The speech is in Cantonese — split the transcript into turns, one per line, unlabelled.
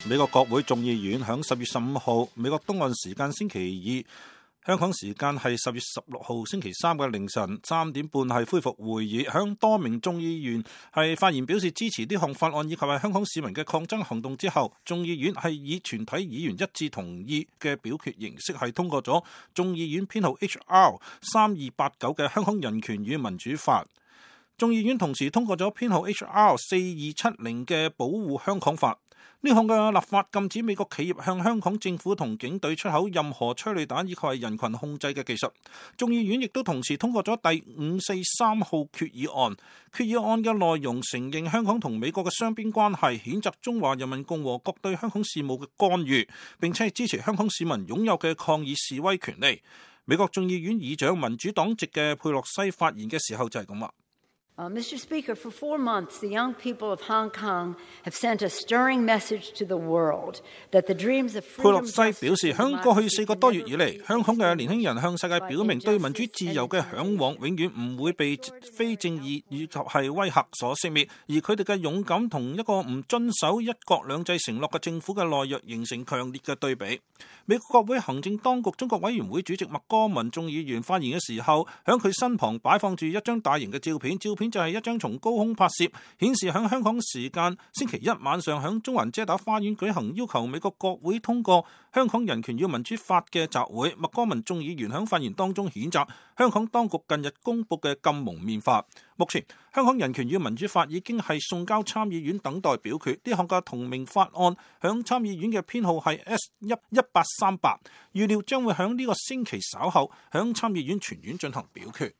美國國會眾議院響10月15號美國東岸時間星期二，香港時間係10月16號星期三嘅凌晨3點半係恢復會議。響多名眾議員係發言表示支持呢項法案以及係香港市民嘅抗爭行動之後，眾議院係以全體議員一致同意嘅表決形式係通過咗眾議院編號 HR 3289嘅香港人權與民主法。眾議院同時通過咗編號 HR 4270嘅保護香港法。呢項嘅立法禁止美國企業向香港政府同警隊出口任何催淚彈以及係人群控制嘅技術。眾議院亦都同時通過咗第543號決議案。決議案嘅內容承認香港同美國嘅雙邊關係，譴責中華人民共和國對香港事務嘅干預，並且係支持香港市民擁有嘅抗議示威權利。美國眾議院議長民主黨籍嘅佩洛西發言嘅時候就係咁話。
Mr. Speaker, for 4 months, the young people of Hong Kong have sent a stirring message to the world that the dreams of freedom.
佩洛西表示，響過去4個多月以嚟，香港嘅年輕人向世界表明，對民主自由嘅向往永遠唔會被非正義以及係威嚇所熄滅，而佢哋嘅勇敢同一個唔遵守一國兩制承諾嘅政府嘅懦弱形成強烈嘅對比。美國國會行政當局中國委員會主席麥哥文眾議員發言嘅時候，響佢身旁擺放住一張大型嘅照片就係一張從高空拍攝，顯示響香港時間星期一晚上響中環遮打花園舉行要求美國國會通過香港人權與民主法嘅集會。麥哥文眾議員響發言當中譴責香港當局近日公布嘅禁蒙面法。目前香港人權與民主法已經係送交參議院等待表決，呢項嘅同名法案響參議院嘅編號係 S1838， 預料將會響呢個星期稍後響參議院全院進行表決。